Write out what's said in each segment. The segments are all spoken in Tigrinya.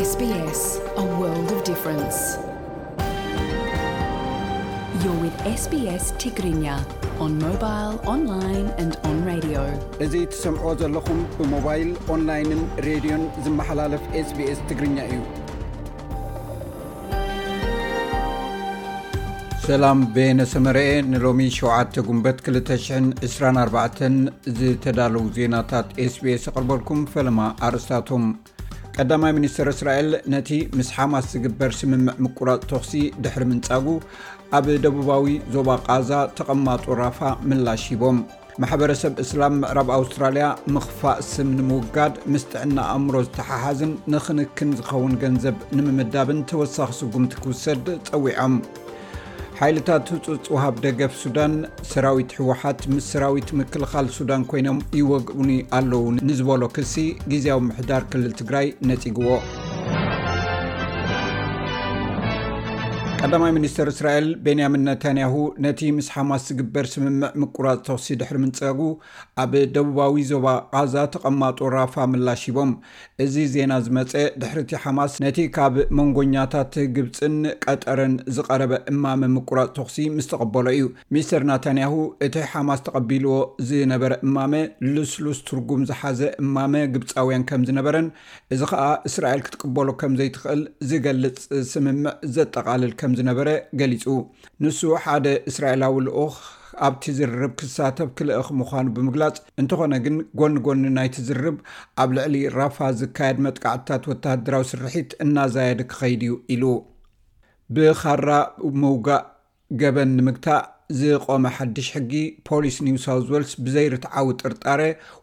S B S, a world of difference. You're with S B S Tigrinya on mobile, online and on radio. እዚ ትሰምዕዎ ዘለኹም ብሞባይል፣ ኦንላይንን ሬድዮን ዝመሓላለፍ SBS ትግርኛ እዩ። ሰላም፣ በየነ ሰመረኤ። ንሎሚ ሸውዓተ ጉንበት ክልተ ሽሕን ዕስራን ኣርባዕተን ዝተዳለዉ ዜናታት SBS ኣቕርበልኩም። ፈለማ ኣርእስታቶም። ቀዳማይ ሚኒስተር እስራኤል ነቲ ምስ ሓማስ ዝግበር ስምምዕ ምቁራጽ ተኹሲ ድሕሪ ምንጻጉ፣ ኣብ ደቡባዊ ዞባ ቃዛ ተቐማጦ ራፋ ምላሽ ሂቦም። ማሕበረሰብ እስላም ምዕራብ ኣውስትራልያ ምኽፋእ ስም ንምውጋድ ምስ ጥዕና ኣእምሮ ዝተሓሓዝን ንኽንክን ዝኸውን ገንዘብ ንምምዳብን ተወሳኺ ስጉምቲ ክውሰድ ጸዊዖም። ሓይልታት ህጹጽ ወሃብ ደገፍ ሱዳን፣ ሰራዊት ህወሓት ምስ ሰራዊት ምክልኻል ሱዳን ኮይኖም ይወግኡኒ ኣለዉ ንዝበሎ ክሲ ግዝያዊ ምሕዳር ክልል ትግራይ ነጺግዎ። ቀዳማይ ሚኒስተር እስራኤል ቤንያሚን ነታንያሁ ነቲ ምስ ሓማስ ዝግበር ስምምዕ ምቁራጽ ተኹሲ ድሕሪ ምንጻጉ፣ ኣብ ደቡባዊ ዞባ ቃዛ ተቐማጦ ራፋ ምላሽ ሂቦም። እዚ ዜና ዝመጸ ድሕሪ እቲ ሓማስ ነቲ ካብ መንጎኛታት ግብጽን ቀጠርን ዝቐረበ እማመ ምቁራጽ ተኹሲ ምስ ተቐበሎ እዩ። ሚስተር ናታንያሁ እቲ ሓማስ ተቐቢልዎ ዝነበረ እማመ ልስሉስ ትርጉም ዝሓዘ እማመ ግብጻውያን ከም ዝነበረን፣ እዚ ኸኣ እስራኤል ክትቅበሎ ከም ዘይትኽእል ዝገልጽ ስምምዕ ዘጠቓልል ከም ዝነበረ ገሊጹ። ንሱ ሓደ እስራኤላዊ ልኡኽ ኣብቲ ዝርርብ ክሳተፍ ክልእኽ ምዃኑ ብምግላጽ፣ እንተኾነ ግን ጎኒ ጎኒ ናይቲ ዝርርብ ኣብ ልዕሊ ራፋ ዝካየድ መጥቃዕትታት ወተሃደራዊ ስርሒት እናዛየደ ክኸይድ እዩ ኢሉ። ብኻራ ምውጋእ ገበን ንምግታእ ዝቖመ ሓድሽ ሕጊ፣ ፖሊስ ኒው ሳውዝ ዌልስ ብዘይርትዓዊ ጥርጣረ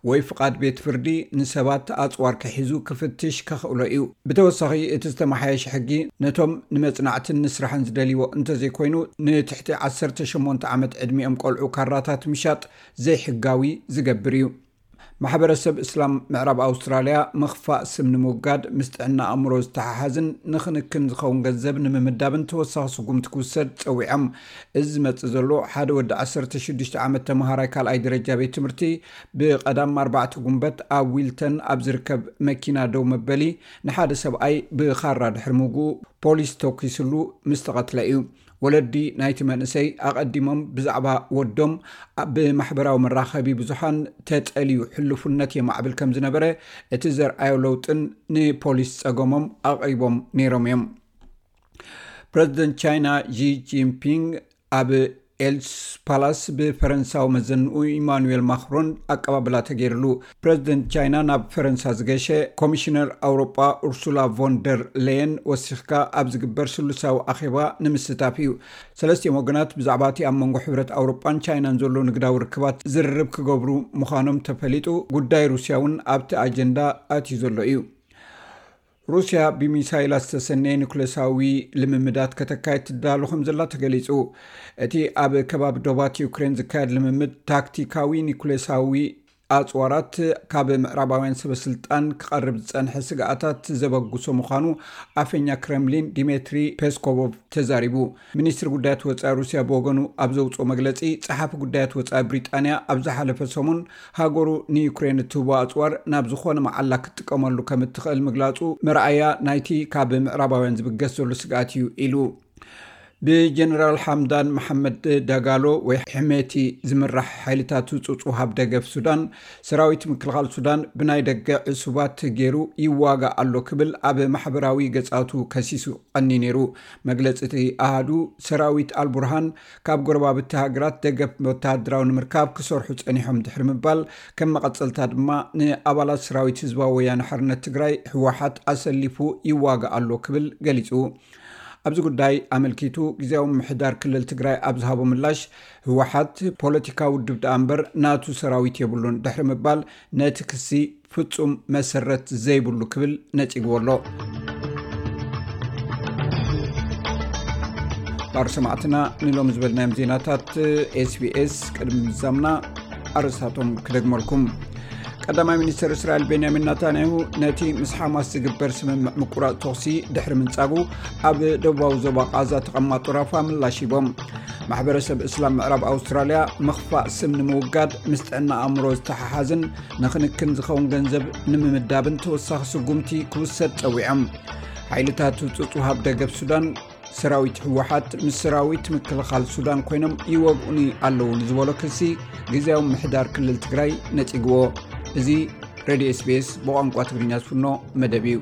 ወይ ፍቓድ ቤት ፍርዲ ንሰባት ኣጽዋር ክሒዙ ክፍትሽ ከኽእሎ እዩ። ብተወሳኺ፣ እቲ ዝተመሓየሸ ሕጊ ነቶም ንመጽናዕትን ንስራሕን ዝደልይዎ እንተዘይኮይኑ፣ ንትሕቲ ዓሰርተ ሸሞንተ ዓመት ዕድሚኦም ቆልዑ ካራታት ምሻጥ ዘይሕጋዊ ዝገብር እዩ። ማሕበረሰብ እስላም ምዕራብ ኣውስትራልያ ምኽፋእ ስም ንምውጋድ ምስ ጥዕና ኣእምሮ ዝተሓሓዝን ንኽንክን ዝኸውን ገንዘብ ንምምዳብን ተወሳኺ ስጉምቲ ክውሰድ ጸዊዖም። እዚ ዝመጽእ ዘሎ፣ ሓደ ወዲ ዓሰርተ ሽዱሽተ ዓመት ተመሃራይ ካልኣይ ደረጃ ቤት ትምህርቲ ብቐዳም ኣርባዕተ ጉንበት ኣብ ዊልተን ኣብ ዝርከብ መኪና ደው መበሊ ንሓደ ሰብኣይ ብኻራ ድሕሪ ምውግኡ ፖሊስ ተኲስሉ ምስ ተቐትለ እዩ። ወለዲ ናይቲ መንእሰይ ኣቐዲሞም ብዛዕባ ወዶም ኣብ ብማሕበራዊ መራኸቢ ብዙሓን ተጠልዩ ሕሉፍነት የማዕብል ከም ዝነበረ እቲ ዘርኣዮ ለውጥን ንፖሊስ ጸገሞም ኣቕሪቦም ነይሮም እዮም። ፕረዚደንት ቻይና ዢ ጂንፒንግ ኣብ ኤልስ ፓላስ ብፈረንሳዊ መዘንኡ ኢማኑኤል ማክሮን ኣቀባብላ ተገይርሉ። ፕረዚደንት ቻይና ናብ ፈረንሳ ዝገሸ ኮሚሽነር ኣውሮጳ ኡርሱላ ቮን ደር ሌየን ወሲኽካ ኣብ ዝግበር ስሉሳዊ ኣኼባ ንምስታፍ እዩ። ሰለስቲኦም ወገናት ብዛዕባ እቲ ኣብ መንጎ ሕብረት ኣውሮጳን ቻይናን ዘሎ ንግዳዊ ርክባት ዝርርብ ክገብሩ ምዃኖም ተፈሊጡ፣ ጉዳይ ሩስያ እውን ኣብቲ ኣጀንዳ ኣትዩ ዘሎ እዩ። ሩስያ ብሚሳይላት ዝተሰነየ ኒኩሌሳዊ ልምምዳት ከተካይድ ትዳሎ ከም ዘላ ተገሊጹ። እቲ ኣብ ከባቢ ዶባት ዩክሬን ዝካየድ ልምምድ ታክቲካዊ ኒኩሌሳዊ ኣጽዋራት ካብ ምዕራባውያን ሰበስልጣን ክቐርብ ዝጸንሐ ስግኣታት ዘበግሶ ምዃኑ ኣፈኛ ክረምሊን ዲሜትሪ ፔስኮቮቭ ተዛሪቡ። ሚኒስትሪ ጉዳያት ወጻኢ ሩስያ ብወገኑ ኣብ ዘውጽኦ መግለጺ፣ ጸሓፊ ጉዳያት ወጻኢ ብሪጣንያ ኣብ ዝሓለፈ ሰሙን ሃገሩ ንዩክሬን እትህቦ ኣጽዋር ናብ ዝኾነ መዓላ ክትጥቀመሉ ከም እትኽእል ምግላጹ መርኣያ ናይቲ ካብ ምዕራባውያን ዝብገስ ዘሎ ስግኣት እዩ ኢሉ። ብጀነራል ሓምዳን መሓመድ ዳጋሎ ወይ ሕሜቲ ዝምራሕ ሓይልታት ህጹጽ ወሃብ ደገፍ ሱዳን፣ ሰራዊት ምክልኻል ሱዳን ብናይ ደገ ዕሱባት ገይሩ ይዋጋእ ኣሎ ክብል ኣብ ማሕበራዊ ገጻቱ ከሲሱ ቀኒ ነይሩ። መግለጺ እቲ ኣሃዱ፣ ሰራዊት ኣልቡርሃን ካብ ጎረባብቲ ሃገራት ደገፍ ወተሃደራዊ ንምርካብ ክሰርሑ ጸኒሖም ድሕሪ ምባል፣ ከም መቐጸልታ ድማ ንኣባላት ሰራዊት ህዝባዊ ወያነ ሓርነት ትግራይ ህወሓት ኣሰሊፉ ይዋጋእ ኣሎ ክብል ገሊጹ። ኣብዚ ጉዳይ ኣመልኪቱ ግዝያዊ ምምሕዳር ክልል ትግራይ ኣብ ዝሃቦ ምላሽ፣ ህወሓት ፖለቲካዊ ውድብ ደኣ እምበር ናቱ ሰራዊት የብሉን ድሕሪ ምባል፣ ነቲ ክሲ ፍጹም መሰረት ዘይብሉ ክብል ነጺግዎ ኣሎ። ባር ሰማዕትና፣ ንሎሚ ዝበልናዮም ዜናታት SBS ቅድሚ ምዛምና ኣርእስታቶም ክደግመልኩም። ቀዳማይ ሚኒስተር እስራኤል ቤንያሚን ናታንያሁ ነቲ ምስ ሓማስ ዝግበር ስምምዕ ምቁራጽ ተኹሲ ድሕሪ ምንጻጉ፣ ኣብ ደቡባዊ ዞባ ቃዛ ተቐማጦ ራፋ ምላሽ ሂቦም። ማሕበረሰብ እስላም ምዕራብ ኣውስትራልያ ምኽፋእ ስም ንምውጋድ ምስ ጥዕና ኣእምሮ ዝተሓሓዝን ንኽንክን ዝኸውን ገንዘብ ንምምዳብን ተወሳኺ ስጉምቲ ክውሰድ ጸዊዖም። ሓይልታት ህጹጽ ውሃብ ደገፍ ሱዳን ሰራዊት ህወሓት ምስ ሰራዊት ምክልኻል ሱዳን ኮይኖም ይወግኡኒ ኣለዉ ንዝበሎ ክሲ ግዜያዊ ምሕዳር ክልል ትግራይ ነጺግዎ። እዚ ሬድዮ ኤስቢኤስ ብቋንቋ ትግርኛ ዝፍኖ መደብ እዩ።